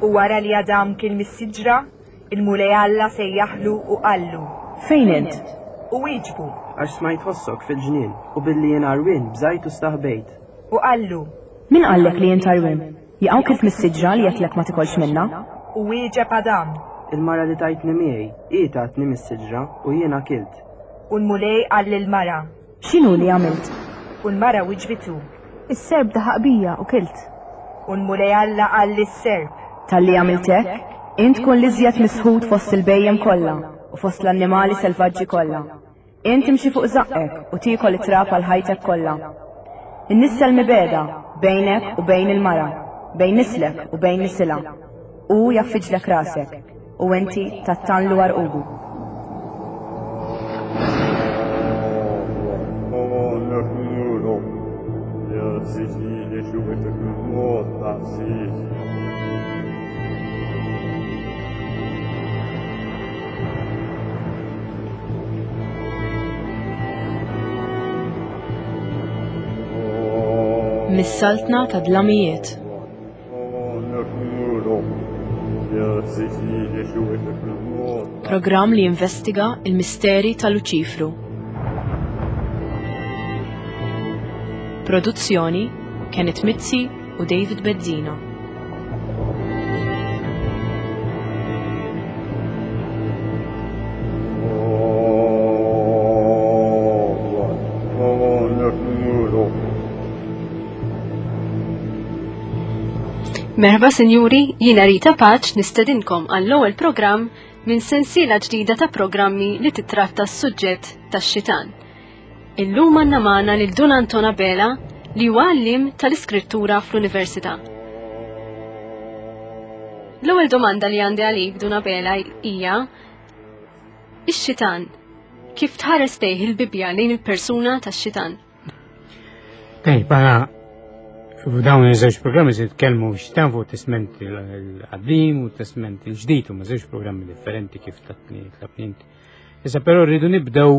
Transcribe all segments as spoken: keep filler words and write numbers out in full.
U wara li Adam kien mis-siġra, il-Mulej Alla sejjaħlu u qallu. Fejn int? U wieġbu. Għax smajt ħossok fil-ġnien u billi jien għarwien bżajt u staħbejt. U qallu. Min qallek li int għarwien? Jaqaw kilt mis-siġra li għedtlek ma tikolx minnha? U wieġeb Adam. Il-mara li tajtni miegħi, hi tatni mis-siġra u jiena kilt. U l-Mulej qal lill-mara. X'inhu li għamilt? U l-mara wiġbitu. Is-serp daħaq bija u kilt. U l-Mulej Alla qal lis-serp. Talli għamilt hekk, int tkun l-iżjed misħut fost il-bhejjem kollha u fost l-annimali selvaġġi kollha. Int timxi fuq żaqqek u tiekol it-trab għal ħajtek kollha. Innissel mibegħda bejnek u bejn il-mara, bejn nislek u bejn nisilha. Hu jgħaffiġlek rasek u inti tgħattanlu għarqubu. Mis-saltna ta' dlamijiet. Programm li jinvestiga il-misteri ta' Luċifru. Produzzjoni Kenneth Mizzi u David Bezzina. Merħba sinjuri, jiena Rita Paċ nistedinkom għall-ewwel programm minn sensiela ġdida ta' programmi li titratta s-suġġett tax-xitan. Illum għandna magħna lil Dun Anton Abela li huwa għalliem tal-Iskrittura fl-Università. L-ewwel domanda li għandi għalik Dun Abela hija ix-xitan kif tħares lejh il-Bibbja lejn il-persuna tax-xitan? Tajb, f'dawn iż-żewġ programmi se nitkellmu xitan fuq Testament il-Qadim u Testament il-Ġdid, huma żewġ programmi differenti kif tatni tlabni inti. Issa però rridu nibdew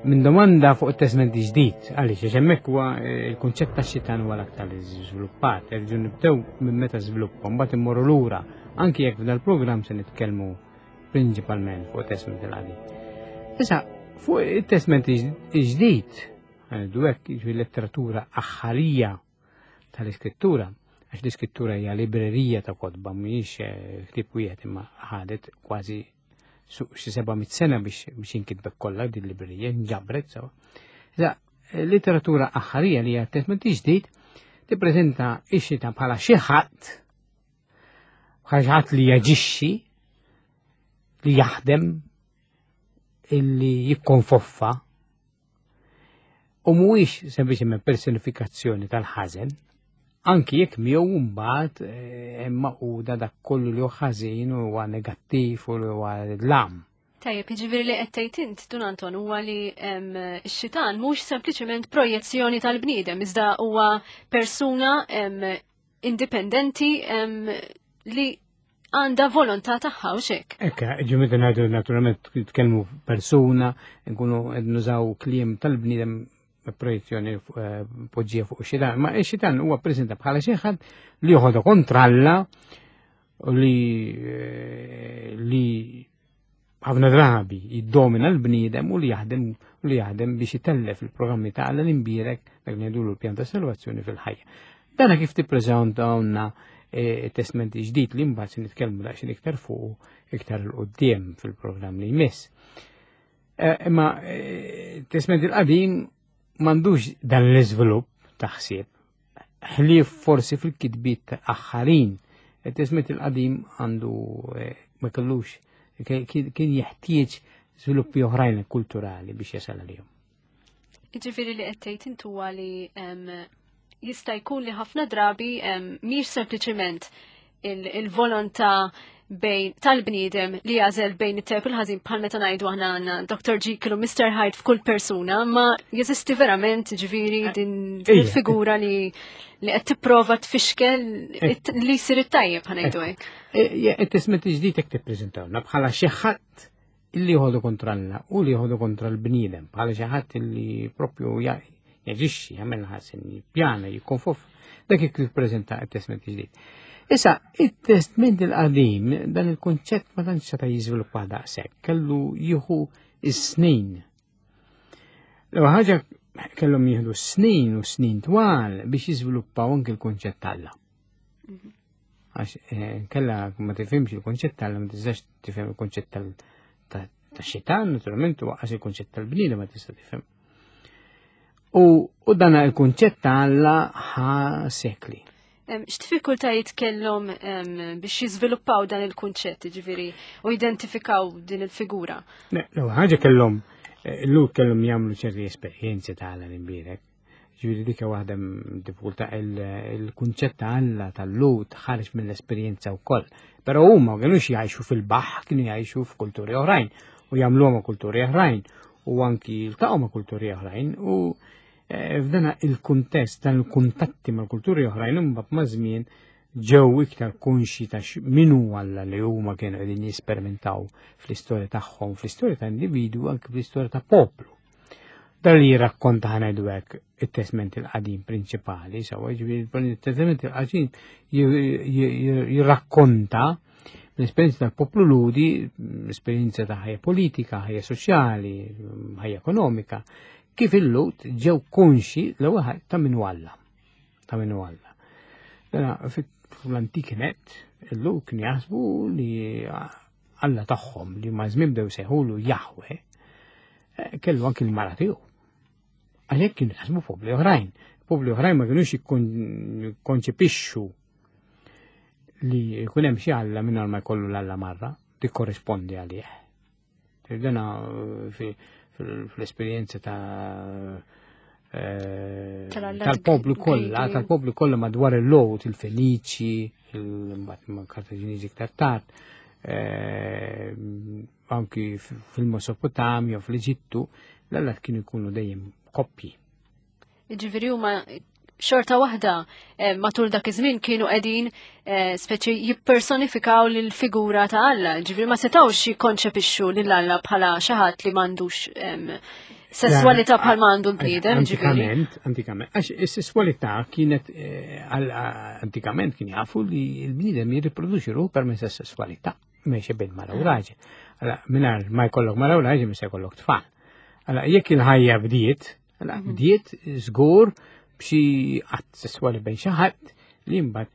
minn domanda fuq it-Testament il-Ġdid, għaliex għax hemmhekk huwa il-kunċett tax-xitan huwa l-aktar żviluppat, rridu nibdew minn meta żviluppa, mbagħad immorru lura, anki jekk f'dan il-programm se nitkellmu prinċipalment fuq it-Testament il-Qadim. Issa fuq it-Testament il-Ġdid, għandu hekk jiġifieri letteratura aħħarija tal-iskrittura, għax l-iskrittura hija librerija ta' kotba, mhijiex ktieb wieħed imma ħadet kważi xi seba' mitt sena biex biex inkitbet kollha din librerija, nġabret sewa. Iżda letteratura aħħarija li hija Testament Ġdid tippreżenta x-xitan bħala xi ħadd, bħala xi ħadd li jaġixxi, li jaħdem, illi jikkonfoffa, u mhuwiex sempliċement personifikazzjoni tal-ħażen, anki jekk miegħu mbagħad hemm maquda dak kollu li hu ħażin u huwa negattiv u li huwa dlam. Tajjeb, jiġifieri li qed tgħid int, Dun Anton, huwa li x-xitan mhux sempliċement projezzjoni tal-bniedem, iżda huwa persuna indipendenti li għandha volontà tagħha u xek. Ekka, ġimgħa ngħidu naturalment nitkellmu persuna, nkunu qed nużaw kliem tal-bniedem projezzjoni poġġija fuq xitan, ma xitan huwa preżenta bħala xi ħadd li joħodha kontra Alla u li li ħafna drabi jiddomina l-bniedem u li jaħdem u li jaħdem biex itellef il-programmi ta' Alla l-imbierek dak li ngħidulu l-pjan ta' salvazzjoni fil-ħajja. Dana kif tippreżentawna Testament Ġdid li mbagħad se nitkellmu daqsxejn iktar fuq iktar 'il quddiem fil-programm li jmiss. Imma Testament il-Qadim m'għandux dan l-iżvilupp ta' ħsieb, ħlief forsi fil-kitbiet aħħarin. Il-Testament il-Qadim għandu ma kellux, kien jeħtieġ żviluppi oħrajn kulturali biex jasal għalihom. Jiġifieri li qed tgħid int huwa li jista' jkun li ħafna drabi mhix sempliċement il-volontà bejn tal-bniedem li jażel bejn it-tajjeb u l-ħażin bħal meta ngħidu aħna għandna Doctor Jekyll u Mister Hyde f'kull persuna, ma jeżisti verament ġifieri din il-figura li li qed tipprova tfixkel li jsir it-tajjeb ħa ngħidu hekk. It-Testament il-Ġdid hekk tippreżentawna bħala xi ħadd illi jħodu kontra Alla u li jħodu kontra l-bniedem, bħala xi ħadd illi propju jaġixxi, jagħmel ħażin, jippjana, jikkonfof. Dak kif jippreżenta t-Testament il-Ġdid. Issa, it-Testment il-Qadim, dan il-kunċett ma tantx seta' jiżviluppa daqshekk, kellu jieħu is-snin. L-ewwel ħaġa kellhom jieħdu snin u snin twal biex jiżviluppaw anke l-kunċett t'Alla. Għax eh, kella ma tifhimx il-kunċett t'Alla, ma tistax tifhem il-kunċett tal- ta' xitan, naturalment, u għax il-kunċett tal-bniedem ma tista' tifhem. U, u dan il-kunċett ta' Alla ħa sekli. Em, X'diffikultajiet kellhom em, biex jiżviluppaw dan il-kunċett, ġifieri, u jidentifikaw din il-figura? Le, L-ewwel ħaġa kellhom eh, l kellhom jagħmlu ċerti esperjenzi ta' Alla l-imbierek. Ġifieri dik waħda diffikultà il-kunċett ta' Alla tal-Lhud ħareġ mill-esperjenza wkoll. Però huma ma kinux jgħixu fil-baħħ, kienu jgħixu f'kulturi oħrajn u jagħmluhom ma' kulturi oħrajn u anki jiltaqgħu ma' kulturi oħrajn u eh, f'dana il-kuntest, dan il-kuntatti ma' kulturi oħrajn imbagħad ma' żmien ġew iktar konxi ta' min hu Alla li huma kienu qegħdin jesperimentaw fl-istorja tagħhom, fl-istorja ta' individwu, anke fl-istorja ta' poplu. Dan li jirrakkonta ħa ngħidu hekk it-Testament il-Qadim prinċipali, sewwa ġifieri il-Testament il-Qadim jirrakkonta l-esperjenza tal-poplu Lhudi, l-esperjenza ta' ħajja politika, ħajja soċjali, ħajja ekonomika, kif il-Lhud ġew konxi l-ewwel ħaġa ta' min hu Alla. Ta' min hu Alla. Dana fl-antik net, il-Lhud kien jaħsbu li Alla tagħhom li ma' żmien bdew sejħulu Jahwe, eh, kellu anki l-mara tiegħu. Għalhekk kienu jaħsbu popli oħrajn. Popli oħrajn ma kienux jikkonċepixxu li jkun hemm xi Alla mingħajr ma jkollu l-Alla marra, tikkorrispondi għalih. Dana fl-esperjenza ta' eh, tal-poplu kollha, tal-poplu kollha madwar il-Lhud, il-Feniċi, il-mbagħad Kartaġiniżi iktar tard, eh, anki fil-Mesopotamja, fl-Eġittu, l-allat kienu jkunu dejjem koppji. Ġifieri huma xorta waħda eh, matul dak iż-żmien kienu qegħdin eh, speċi jippersonifikaw lil-figura ta' Alla. Ġifieri ma setgħux jikkonċepixxu lil Alla bħala xi ħadd li m'għandux em, sesswalità bħal ma għandu l-bniedem, ġifieri. Antikament, antikament, għax is-sesswalità kienet eh, għal- antikament kien jafu li l-bniedem jirriproduċi ruħu permezz tas-sesswalità, meċe bejn mara u raġel. Allora, mingħajr ma jkollok mara u raġel mhux se jkollok tfal. Allora, jekk il-ħajja bdiet, allora, bdiet żgur b'xi att sesswali bejn xi ħadd li mbagħad.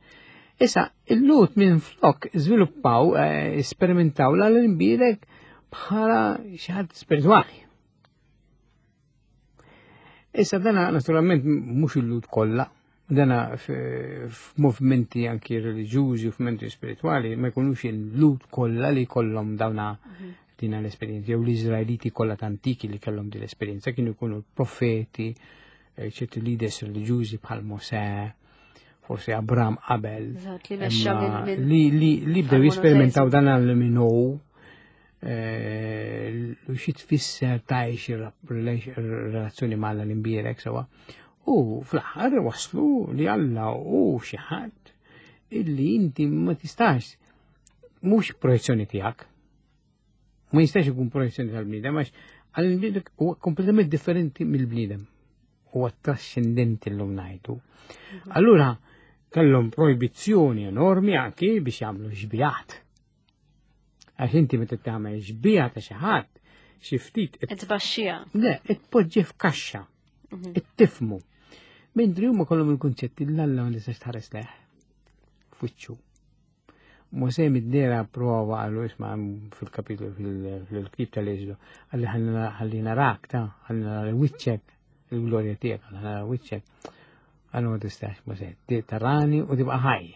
Issa, il-Lhud minn flok żviluppaw, eh, esperimentaw l-imbierek bħala xi ħadd spiritwali. Issa dana naturalment mhux il-Lhud kollha, dana f'movimenti anki reliġjużi u f'movimenti spiritwali ma jkunux il-Lhud kollha li kollhom dawna dina l-esperjenza, jew l-Iżraeliti kollha antiki li kellhom din l-esperjenza, kienu jkunu profeti, eh, ċerti leaders reliġjużi bħal Mosè, forsi Abram qabel, Eżatt, li mexxa imma minn- minn li li li bdew bħal jesperimentaw dan għal minnu eh, u xi tfisser tgħix ir-relazzjoni ma' Alla l-imbierek sewwa. U fl-aħħar waslu li Alla hu xi ħadd illi inti ma tistax mhux projezzjoni tiegħek. Ma jistax ikun projezzjoni tal-bniedem għax għall-bniedem huwa kompletament differenti mill-bniedem. Huwa trascendenti llum ngħidu. Allura kellhom proibizzjoni enormi anki biex jagħmlu xbijat. Għax inti meta tagħmel xbija ta' xi ħadd, xi ftit Qed tbaxxiha. Le, tpoġġi f'kaxxa, tifhmu. Mentri huma kollhom il-kunċetti l-Alla ma tistax tħares lejh. F'wiċċu. Mosè mid-dera prova għallu isma' fil-kapitlu fil-ktib tal-Eżodu, għalli ħalli narak ta' ħalli nara wiċċek, il-glorja tiegħek, ħalli nara wiċċek. Għallu ma tistax, Mosè, tarani u tibqa' ħaj.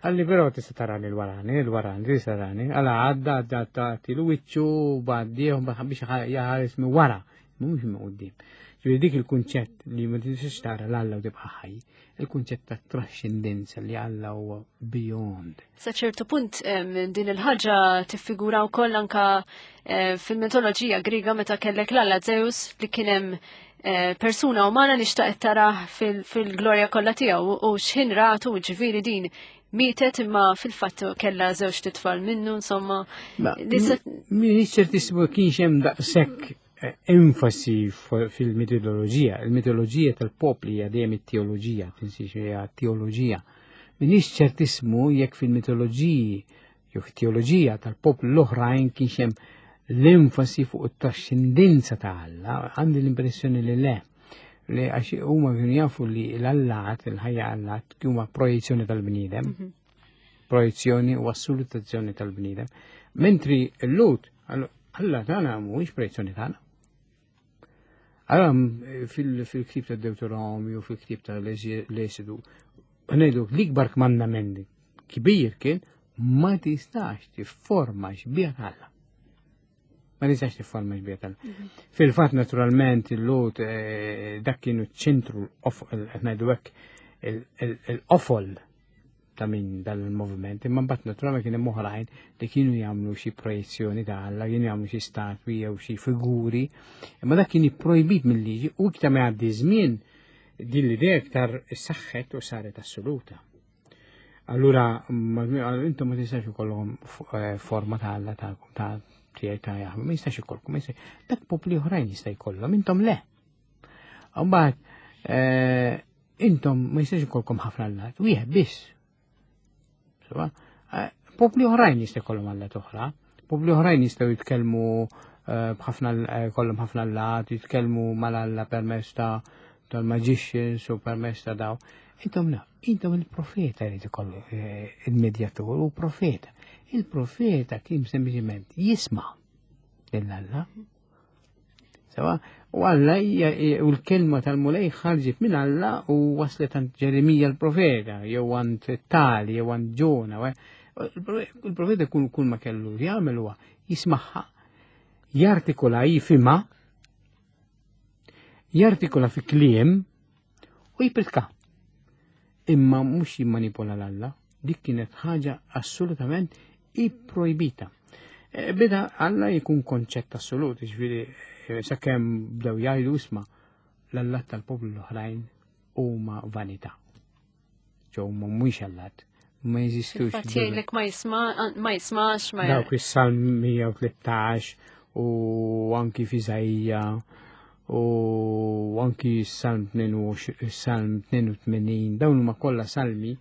Għalli però tista' tarani l-warani, l-warani, tista' tarani. Għalla għadda, għadda, tagħti l-wiċċu, bgħaddih, biex jaħares minn wara, mhux minn quddiem. Ġifieri dik il-kunċett li ma tistax tara l-Alla u tibqa' ħaj, il-kunċett ta' trascendenza li Alla huwa beyond. Sa ċertu punt em, din il-ħaġa tiffigura wkoll anka eh, fil-mitoloġija Griega meta kellek l-Alla Zeus li kien hemm eh, persuna umana li xtaqet tarah fil- fil-glorja kollha tiegħu u x'ħin ratu ġifieri din mietet imma fil-fatt kellha żewġ titfal minnu insomma. Ma, Li se- M'iniex ċertissimu kienx hemm daqshekk eh, enfasi f- fil-mitoloġija. Il-mitoloġija tal-popli hija dejjem it-teoloġija, tinsiex hija teoloġija. Minix ċertismu jekk fil-mitoloġiji jew teoloġija tal-poplu l-oħrajn kienx hemm l-enfasi fuq it-trascendenza ta' Alla, għandi l-impressjoni li le. Li għax huma kienu jafu li l-allat, il-ħajja allat, huma projezzjoni tal-bniedem, Mhm. projezzjoni u assolutazzjoni tal-bniedem. Mentri l-Lhud, Alla tagħna mhuwiex projezzjoni tagħna. Allora fil-ktib ta' Deuteronomju, fil-ktib ta' l-Esidu, ngħidu l-ikbar kmandament kbir kien ma tistax tifforma xbieha Alla. Ma tistax tifforma xbieha Alla. Fil-fatt naturalment il-Lhud eh, dak kienu ċentru ngħidu hekk il-qofol ta' minn dal-moviment, imma mbagħad naturalment kien hemm oħrajn li kienu jagħmlu xi projezzjoni ta' Alla, kienu jagħmlu xi statwi jew xi figuri, imma dak kien ipprojbit mill-liġi u iktar ma jgħaddi żmien din l-idea iktar saħħet u saret assoluta. Allura, intom ma tistax ikollhom eh, forma ta' Alla tagħkom ta' tiegħi ta' Jaħweh, ma jistax ikollkom, dak popli oħrajn jista' jkollhom, intom le. Mbagħad eh, intom ma jistax ikollkom ħafna allat, wieħed biss. Eh, popli oħrajn jista' jkollhom allat oħra, popli oħrajn jistgħu jitkellmu b'ħafna kollhom ħafna allat, jitkellmu mal-Alla permezz ta' tal-magicians u permezz ta' daw. Intom la, intom il-profeta jrid ikollu eh, il-medjatur u profeta. Il-profeta kien sempliċement jisma' lil Alla. Sewa, u Alla u l-kelma tal-Mulej ħarġet minn Alla u waslet għand Ġeremija l-profeta, jew għand Tali, jew għand Ġona. Il-profeta kull kull ma kellu jagħmel huwa jismagħha, jartikola jifhimha, jartikola fi kliem u jipritka. Imma mhux jimmanipola l-Alla, dik kienet ħaġa assolutament ipprojbita. E, beda Alla jkun konċett assolut, ġifieri e, sakemm bdew jgħidu isma' l-allat tal-poplu l-oħrajn huma vanità. Ġew huma mhuwiex allat, ma jeżistux. Fatt jgħidlek ma jisma' ma jismax ma Dawk is-Salm mija u tlettax u anki f'Iżaija u anki Salm Salm tnejn u tmenin, dawn huma kollha salmi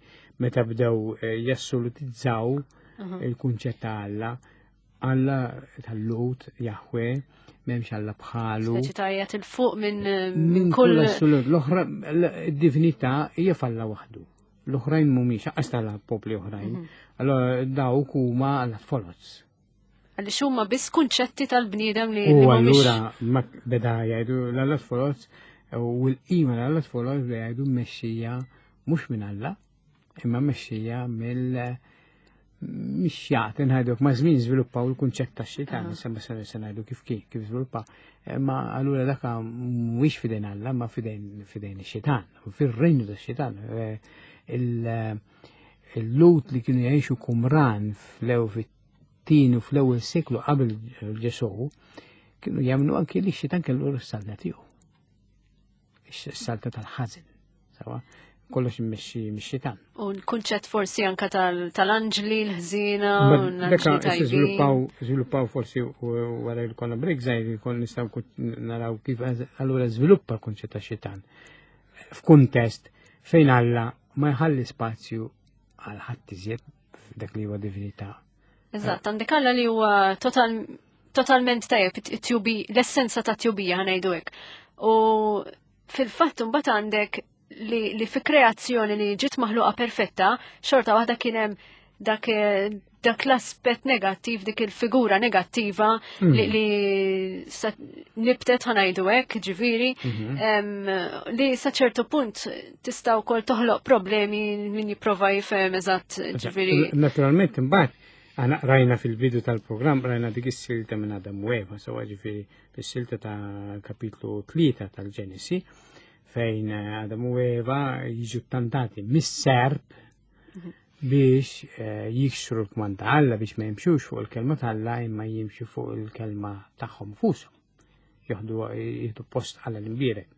meta bdew eh, jassolutizzaw il-kunċett ta' Alla. Alla tal-Lhud, Jahwe, m'hemmx Alla bħalu. Speċi tajjat il-fuq minn Minn kull kull assolut. L-oħra, id-divinità hija f'Alla waħdu. L-oħrajn mhumiex, aqas tal-popli oħrajn. Allora dawk huma alla foloz. Għaliex huma biss kunċetti tal-bniedem li U li mhumiex allura ma beda jgħidu l-allat foloz u l-qima l-allat foloz beda jgħidu mmexxija mhux minn Alla, imma mmexxija mill mixjat ngħidu ma' żmien żviluppaw il-kunċett tax-xitan, issa ma se se ngħidu kif kif kif żviluppa. Ma allura daka mhuwiex fidejn Alla, ma fidejn fidejn ix-xitan, u fir-renju tax-xitan. Il-Lhud li kienu jgħixu Qumran fl-ew fit-tieni u fl-ewwel seklu qabel Ġesù kienu jagħmlu anki li x-xitan kellu s-saltna tiegħu. Is-saltna tal-ħażin. Sawa, kollox immexxi mix-xitan. U l-kunċett forsi anka tal-anġli, l-ħżiena, u Deka l-anġli tajbin. żviluppaw żviluppaw forsi wara li konna break żgħir jkun nistgħu naraw kif allura żviluppa l-kunċett tax-xitan. F'kuntest fejn Alla ma jħalli spazju għal ħadd iżjed f'dak li huwa divinità. Eżatt, għandek Alla li huwa total, totalment tajjeb, it-tjubi, l-essenza ta' tjubija ħa ngħidu hekk. U fil-fatt mbagħad għandek li, li fi kreazzjoni li ġiet maħluqa perfetta, xorta waħda kien hemm dak, dak l-aspett negattiv, dik il-figura negattiva Mm. li, li sa, nibtet ħa ngħidu hekk, ġifieri, Mhm. em, li sa ċertu punt tista' wkoll toħloq problemi min jipprova jifhem eżatt, ġifieri. Naturalment imbagħad aħna rajna fil-bidu tal-programm rajna dik is-silta minn Adam u Eva, sewa ġifieri fis-silta ta' kapitlu tlieta tal-Ġenesi fejn Adam u Eva jiġu tantati mis-serp biex eh, jiksru l-kmand ta' Alla biex ma jimxux fuq il-kelma ta' Alla imma jimxu fuq il-kelma tagħhom fushom. Joħdu jieħdu post Alla l-imbierek.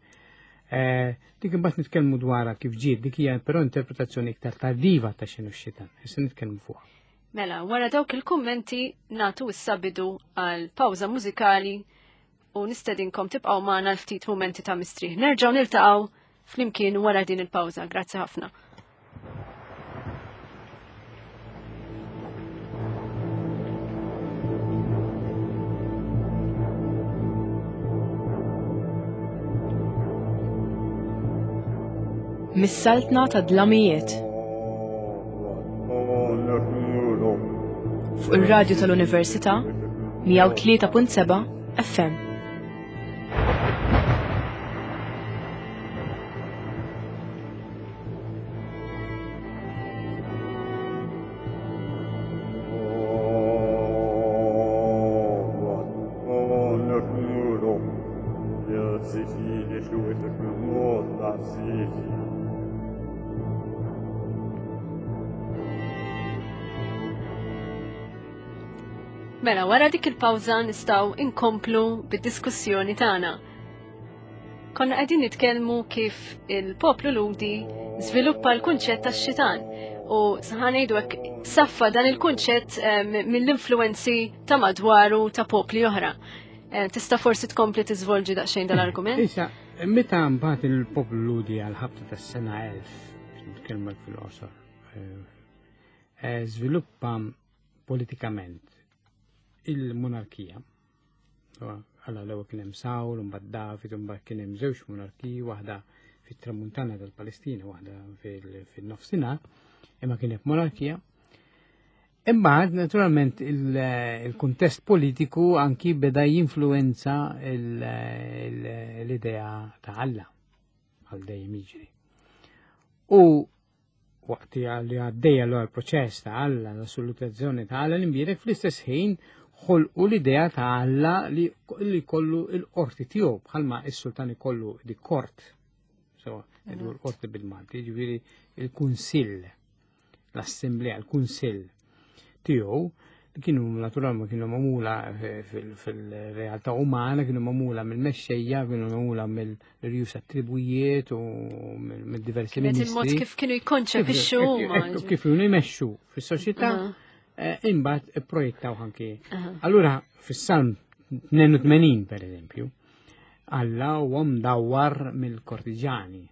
Eh, dik imbagħad nitkellmu dwarha kif ġiet, dik hija però interpretazzjoni iktar tardiva ta' x'inhu x-xitan. Issa nitkellmu fuqha. Mela, wara dawk il-kummenti natu issa bidu għal pawża mużikali u nistedinkom tibqgħu magħna l-ftit mumenti ta' mistrieħ. Nerġgħu niltaqgħu flimkien wara din il-pawża. Grazzi ħafna. Mis-saltna ta' dlamijiet. Fuq ir-radju tal-Università mija u tlieta punt seba' F M. Mela, wara dik il-pawża nistgħu inkomplu bid-diskussjoni tagħna. Konna qegħdin nitkellmu kif il-poplu Lhudi żviluppa l-kunċett tax-xitan u ngħidu hekk saffa dan il-kunċett mill-influenzi ta' madwaru ta' popli oħra. Tista' forsi tkompli tiżvolġi daqsxejn dal-argument? Issa, meta mbagħad il-poplu Lhudi għal ħabta tas-sena elf, nitkellmek fil-qosor, żviluppa politikament il-monarkija. Alla l-ewwel kien hemm Sawl, imbagħad David, imbagħad kien hemm żewġ monarkiji, waħda fit-tramuntana tal-Palestina, waħda fil-nofsinhar, imma kien hemm monarkija. Imbagħad naturalment il-kuntest politiku anki beda jinfluwenza l-idea ta' Alla għal dejjem jiġri. U waqt li għaddejja l-proċess ta' Alla, l-assolutazzjoni ta' Alla l-imbierek fl-istess ħin ħolqu l-idea ta' Alla li kollu l-qorti tiegħu bħalma s-sultan ikollu di kort, so l-qorti bil-Malti, jiġifieri il-kunsill, l-assemblea, il-kunsill tiegħu li kienu naturalment kienu magħmula fil-realtà umana, kienu magħmula mill-mexxejja, kienu magħmula mill-rjus attribujiet u mill-diversi ministri. Il-mod kif kienu jkonċepixxu huma. Kif kienu jmexxu fis-soċjetà. Imbagħad ipprojettaw anki. Allura fis-Salm tnejn u tmenin per eżempju, Alla huwa mdawwar mill-kortiġani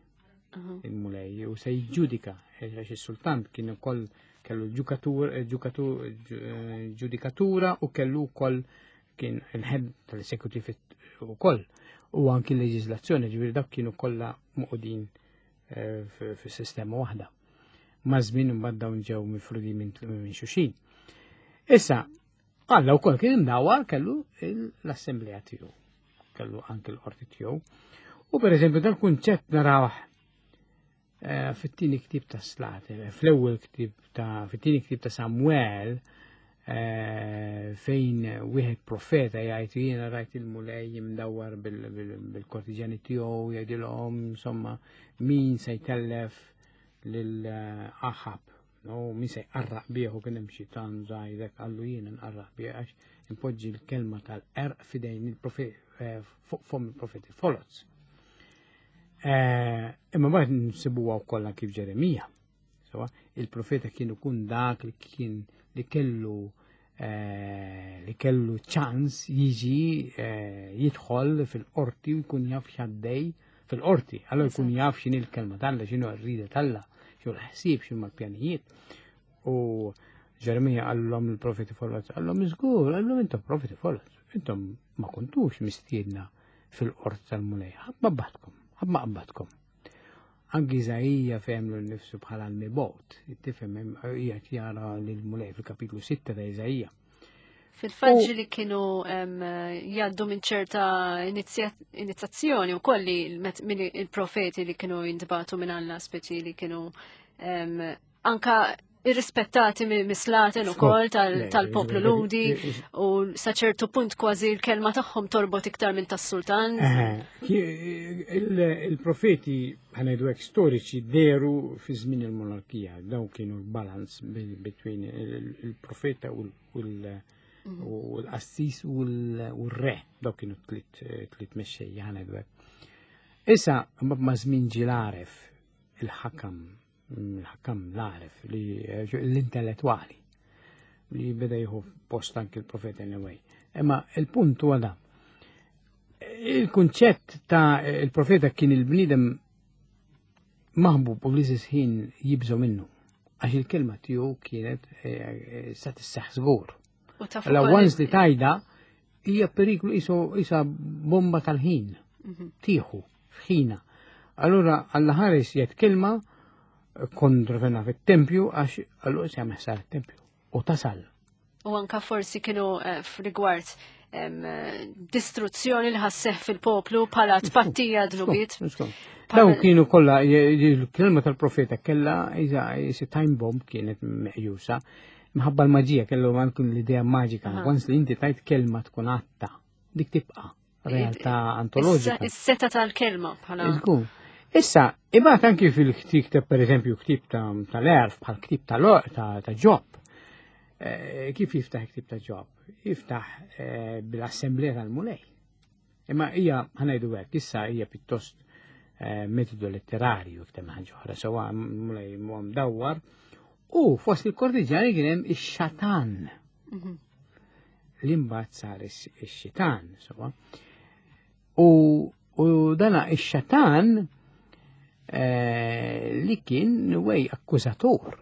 il-Mulej u se jiġġudika għax is-sultan kien ukoll kellu ġukatur, ġudikatura u kellu wkoll kien il-head tal-esekutiv ukoll u anki l-leġiżlazzjoni, ġifieri dak kienu kollha moqudin fis-sistema waħda. Ma' żmien imbagħad dawn ġew mifrudi minn xulxin. Issa, Alla wkoll kien imdawwar kellu l-assemblea tiegħu, kellu anke l-qorti tiegħu. U pereżempju dal-kunċett narawh fit-tieni ktieb ta' Slate, fl-ewwel ktieb ta' fit-tieni ktieb ta' Samuel, fejn wieħed profeta jgħid jiena rajt il-Mulej imdawwar bil-kortiġani tiegħu jgħidilhom insomma min se jtellef lil Aħab, no, min se jqarraq bih u kien hemm xitan żgħirek qallu jiena nqarraq bih għax impoġġi l-kelma tal-qerq f'idejn il-profet fuq fom il-profeti foloz. Imma mbagħad nsibuha wkoll kif Ġeremija. Sewa, il-profeta kien ikun dak li kien li kellu li kellu ċans jiġi jidħol fil-qorti u jkun jaf x'għaddej fil-qorti. Allora jkun jaf x'inhi l-kelma t'Alla, x'inhu r-rida t'Alla, x'inhu l-ħsieb, x'inhu l-pjanijiet. U Ġeremija qallhom il-profeti foloz, qallhom żgur, qallhom intom profeti foloz, intom ma kontux mistiedna fil-qorti tal-Mulej, ħadd ma batkom, ħadd ma qabadkom. Anki Iżaija fehmlu nnifsu bħala l-mibgħut, tifhem qiegħed jara lill-Mulej fil-kapitlu sitta ta' Iżaija. Fil-fatt li kienu jgħaddu minn ċerta inizjazzjoni wkoll li minn il-profeti li kienu jintbagħtu minn Alla, speċi li kienu anka irrispettati mislaten ukoll tal-poplu Lhudi u sa ċertu punt kważi l-kelma tagħhom torbot iktar minn tas-sultan. Il-profeti ħanajdu hekk storiċi deru fi żmien il-monarkija, dawn kienu l-balans between il-profeta u l-qassis u l-re, dawn kienu tliet mexxejja ħanajdu hekk. Issa ma' żmien ġie l-għaref il-ħakam il-ħakam l-għaref li l-intellettwali li beda jieħu post anki l-profeta anyway. Imma il-punt huwa da. Il-kunċett ta' il-profeta kien il-bniedem maħbub u fl-istess ħin jibżgħu minnu għax il-kelma tiegħu kienet sa tisseħħ żgur. Allora once li tajda hija periklu isa bomba tal-ħin tieħu f'ħina. Allura Alla ħares jgħid kelma kontra fit-tempju għax allura se jagħmel ħsara t-tempju u tasal. U anka forsi kienu eh, f'rigward em, eh, distruzzjoni li ħasseħ fil-poplu bħala tpattija dnubiet. Daw kienu kollha il-kelma tal-profeta kella iża isi time bomb kienet meqjusa. Minħabba l-maġija kellu anke l-idea maġika. Aha. Once li inti tajt kelma tkun għatta, dik tibqa' realtà antoloġika. Is-seta tal-kelma bħala. Iżgur. Issa, imbagħad anki fil-ktib ta' per eżempju ktib ta' tal-erf bħal ktib ta' ta' ta' Ġob. Eh, Kif jiftaħ ktib ta' Ġob? Jiftaħ eh, bil-assemblea tal-Mulej. Imma hija ħa ngħidu hekk, issa hija pjuttost eh, metodu letterarju iktar minn ħaġa oħra, sewwa Mulej huwa mdawwar. U fost il-kortiġjani kien hemm ix-xatan Mhm. li mbagħad sar ix- ix-xitan, sewwa. U, u dana ix-xatan eh, li kien wej akkużatur,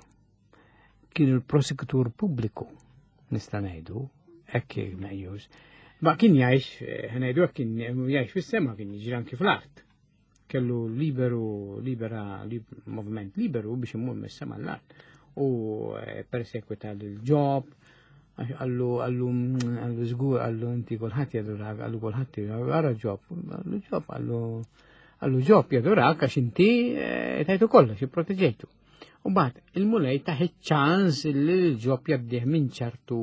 kien il-prosekutur pubbliku, nista' ngħidu, hekk meqjus. Ma kien jgħix, eh, ħa ngħidu hekk kien jgħix fis-sema, kien jiġri anki fl-art. Kellu liberu, libera, lib, moviment liberu biex imur mis-sema l-art. U eh, persekwita l-Ġob, għax għallu, għallu, għallu żgur, għallu inti kulħadd jadurak, għallu kulħadd għara Ġob, għallu Ġob, għallu għallu Ġob jadurak għax inti eh, tajtu kollox, proteġejtu. U mbagħad il-Mulej taħ ċans li l-Ġob jgħaddih minn ċertu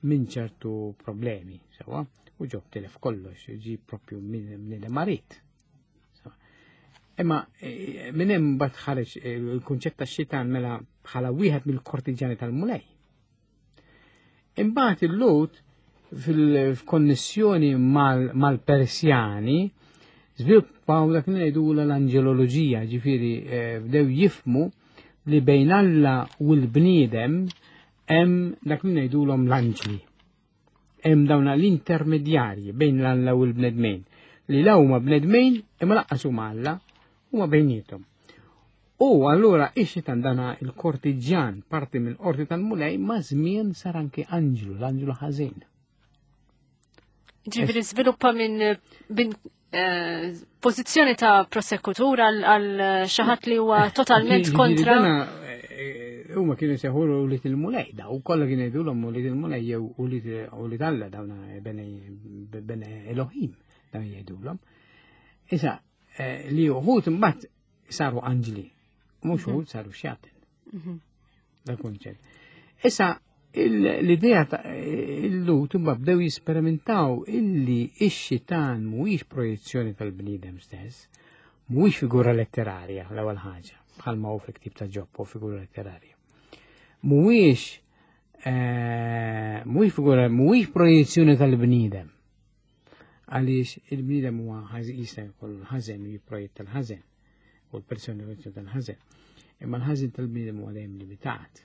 minn ċertu problemi, sewwa, u Ġob tilef kollox, ġi propju minn minn marit. Sewwa. Imma eh, minn hemm mbagħad ħareġ eh, il-kunċett tax-xitan mela bħala wieħed mill-kortiġjani tal-Mulej. Imbagħad il-Lut fil-konnessjoni mal-Persjani żviluppaw dak li ngħidu l-anġeloloġija, ġifieri eh, bdew jifmu li bejn Alla u l-bniedem hemm dak li ngħidulhom l-anġli. Hemm dawn l-intermedjarji bejn l-Alla u l-bnedmin li la huma bnedmin imma lanqas huma Alla huma bejniethom. U allura ix-xitan dana il-kortiġjan parti mill qorti tal-Mulej ma' żmien sar anke anġlu, l-anġlu ħażin. Ġifieri żviluppa minn minn eh, pożizzjoni ta' prosekutur għal għal xi ħadd li huwa totalment Ġifieri kontra. dana, eh, huma kienu jsejħulu ulied il-Mulej, da u kollha kienu jgħidulhom ulied il-Mulej jew ulied ulied Alla dawna bene bene Elohim dawn jgħidulhom. Issa eh, li uħud imbagħad saru anġli, mhux uħud saru xjaten. Mhm. Da kunċett. Issa il- l-idea ta' il-Lut imma bdew jisperimentaw illi ix-xitan mhuwiex projezzjoni tal-bniedem stess, mhuwiex figura letterarja l-ewwel ħaġa, bħalma hu fil-ktib ta' Ġob hu figura letterarja. Mhuwiex eh, mhuwiex figura, mhuwiex projezzjoni tal-bniedem. Għaliex il-bniedem huwa ħażin jista' jkollu l-ħażen u jipprojetta l-ħażen u l-personifikazzjoni tal-ħażen. Imma l-ħażen tal-bniedem huwa dejjem limitat.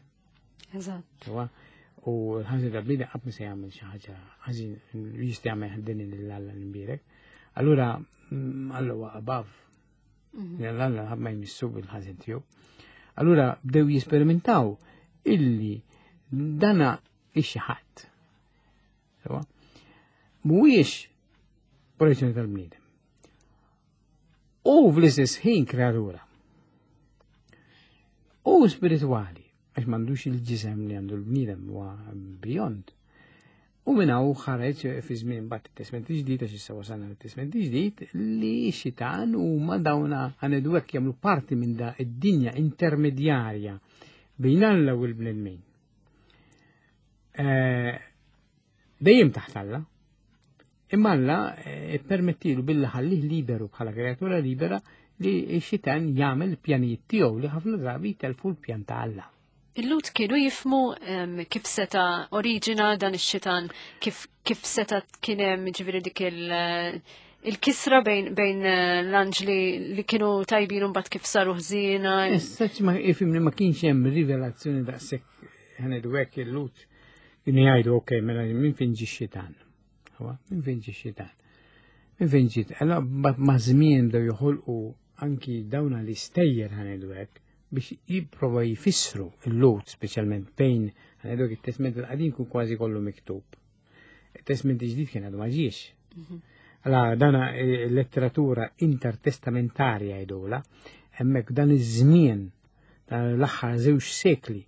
Eżatt. Sewwa? U l-ħażin tal-bniedem qatt ma se jagħmel xi ħaġa ħażin jista' jagħmel din lil Alla l-imbierek. Allura mm, Alla huwa above. Mhm. Alla ħadd ma jmissu bil-ħażin tiegħu. Allura bdew jisperimentaw illi dana ix ħadd. Sewwa? Mhuwiex projezzjoni tal-bniedem. U fl-istess ħin kreatura. U spiritwali, għax m'għandux il-ġisem li għandu l-bniedem huwa beyond. U minn hawn ħareġ fi żmien mbagħad it-Testament ġdid għax issa wasalna fit-Testament ġdid li x-xitan huma dawna ħa ngħidu hekk jagħmlu parti minn da id-dinja intermedjarja bejn Alla u l-bnedmin. Eh, Dejjem taħt Alla. Imma Alla eh, permettilu billi ħallih liberu bħala kreatura libera li x-xitan jagħmel pjanijiet tiegħu li ħafna drabi telfu l-pjan ta' Alla. Il-Lut kienu jifmu em, kif seta oriġina dan ix-xitan, kif, kif seta kien hemm ġifieri dik il- il-kisra bejn, bejn eh, l-anġli li kienu tajbin u mbagħad kif saru ħżiena. Issa ma ifhimni ma kienx hemm rivelazzjoni daqshekk ħa ngħidu hekk il-Lut kienu jgħidu ok, mela minn fejn ġie x-xitan. Huwa, minn fejn ġie x-xitan. Minn fejn ġiet. Allora mbagħad ma' żmien bdew joħolqu anki dawna l-istejjer ħa ngħidu hekk biex jipprova jfissru il-Lut speċjalment bejn ħa ngħidu hekk it-Testament il-qadim kun kważi kollu miktub. Il-Testament il-ġdid kien għadu ma ġiex. Allora, dana letteratura intertestamentarja jgħidula, hemmhekk dan iż-żmien tal-aħħar żewġ sekli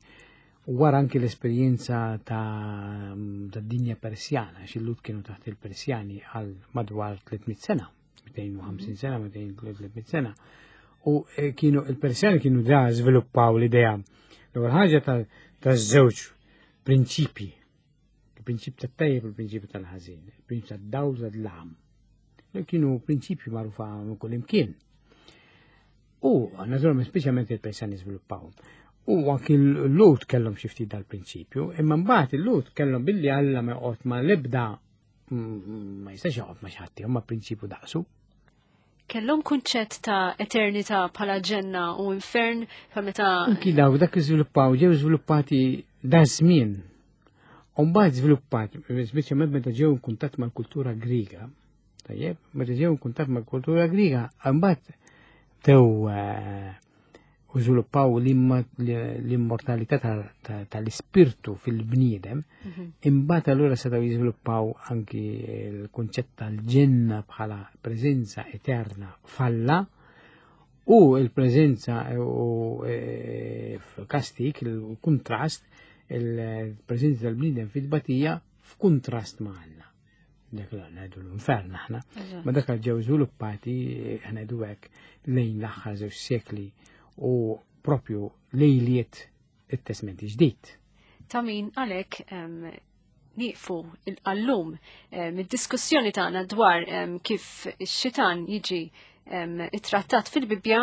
u wara anki l-esperjenza ta' dinja Persjana, għax il-Lhud kienu taħt il-Persjani għal madwar tliet mitt sena, mitejn u ħamsin sena, mitejn tliet mitt sena. U kienu il-Persjani kienu da żviluppaw l-idea. L-ewwel ħaġa taż-żewġ prinċipji, il-prinċipju tat-tajjeb u l-prinċipju tal-ħażin, il-prinċipju tad-dawl u tad-dlam. Li kienu prinċipji magħrufa minn kull imkien. U naturalment speċjalment il-Persjani żviluppaw. U anki l-Lhud kellhom xi ftit dal-prinċipju, imma mbagħad il-Lhud kellhom billi Alla ma joqgħod ma l-ebda ma jistax joqgħod ma xi ħadd, huma prinċipju daqsu. Kellhom kunċett ta' eternità bħala ġenna u infern bħal meta Anki daw dak iżviluppaw, ġew żviluppati da żmien. U mbagħad żviluppat, speċjalment meta ġew in kuntatt mal-kultura Griega. Tajjeb, meta ġew in kuntatt mal-kultura Griega, mbagħad bdew u żviluppaw l-immortalità tal-ispirtu fil-bniedem, imbagħad allura setgħu jiżviluppaw anki l-kunċett tal-ġenna bħala preżenza eterna falla u l-preżenza u f'kastik, il-kuntrast, il-preżenza tal-bniedem fil-batija f'kuntrast ma' Alla. Dak li ngħidu l-infern aħna. Ma dak ġew żviluppati ngħidu hekk lejn l-aħħar żewġ sekli u propju lejliet it-Testament ġdid. Ta' min għalhekk nieqfu għallum mid-diskussjoni tagħna dwar kif ix-xitan jiġi ittrattat fil-Bibbja,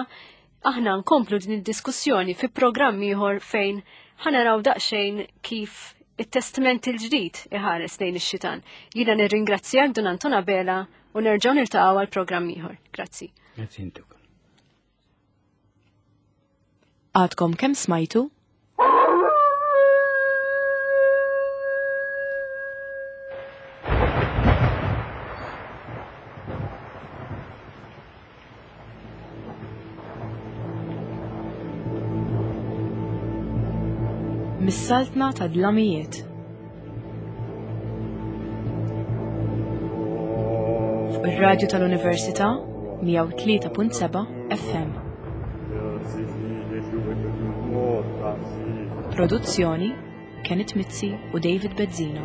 aħna nkomplu din id-diskussjoni fi programm ieħor fejn ħanaraw daqsxejn kif it-Testament il-ġdid iħares lejn ix-xitan. Jiena nirringrazzjak Dun Anton Abela u nerġgħu niltaqgħu għal programm ieħor. Grazzi. Grazzi intuk. Għadkom kemm smajtu? Mis-saltna ta' dlamijiet. Fuq ir-radju tal-Università mija u tlieta punt seba' F M. Produzzjoni Kenneth Mizzi u David Bezzina.